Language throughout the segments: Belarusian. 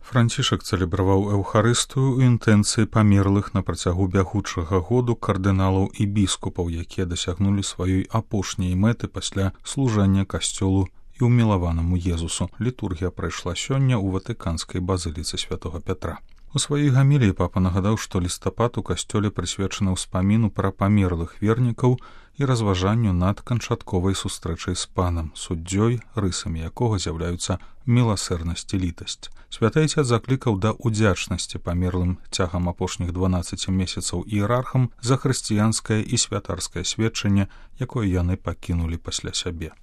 Францішак цэлебраваў эўхарыстыю ў інтэнцыі памерлых на працягу бягучага году кардыналаў і біскупаў, якія дасягнулі сваёй апошняй мэты пасля служэння касцёлу і ўмілаванаму Езусу. Літургія прайшла сёння ў ватыканскай базыліцы святога Пятра. У сваёй гаміліі папа нагадаў, што лістапад у касцёле прысвечаны ўспаміну пра памерлых вернікаў і разважанню над канчатковай сустрэчай з панам, суддзёй, рысамі якога з'яўляюцца міласэрнасць і літасць. Святы Айцец заклікаў да ўдзячнасці памерлым цягам апошніх 12 месяцаў іерархам за хрысціянскае і святарскае сведчанне, якое яны пакінулі пасля сябе.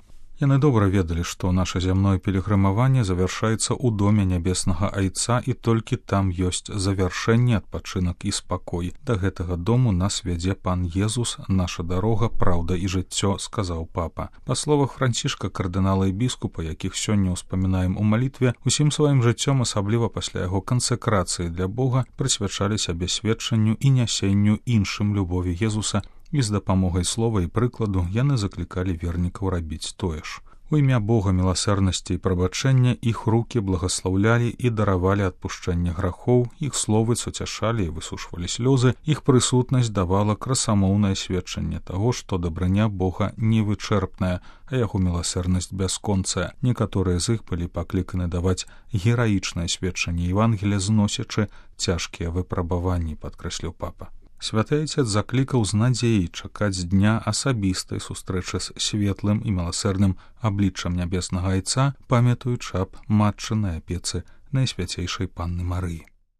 Яны добра ведалі, што наша зямное пілігрымаванне завяршаецца ў доме нябеснага Айца, і толькі там ёсць завяршэнне, адпачынак і спакой. Да гэтага дому нас вядзе пан Езус, наша дарога, праўда і жыццё, сказаў папа. Па словах Францішка, кардынала і біскупа, якіх сёння ўспамінаем у малітве, усім сваім жыццём, асабліва пасля яго кансэкрацыі для Бога, прысвячалі сябе сведчанню і нясенню іншым любові Езуса, і з дапамогай слова і прыкладу яны заклікалі вернікаў рабіць тое ж. У імя Бога міласэрнасці і прабачэння іх рукі благаслаўлялі і даравалі адпушчэнне грахоў, іх словы суцяшалі і высушвалі слёзы, іх прысутнасць давала красамоўнае сведчанне таго, што дабрыня Бога невычэрпная, а яго міласэрнасць бясконцая. Некаторыя з іх былі пакліканы даваць гераічнае сведчанне Евангелія, зносячы цяжкія выпрабаванні, падкрэсліў папа. Святы Айцец заклікаў з надзеяй чакаць дня асабістай сустрэчы з светлым і міласэрным абліччам нябеснага Айца, памятаючы аб матчынай апецы Найсвяцейшай Панны Марыі.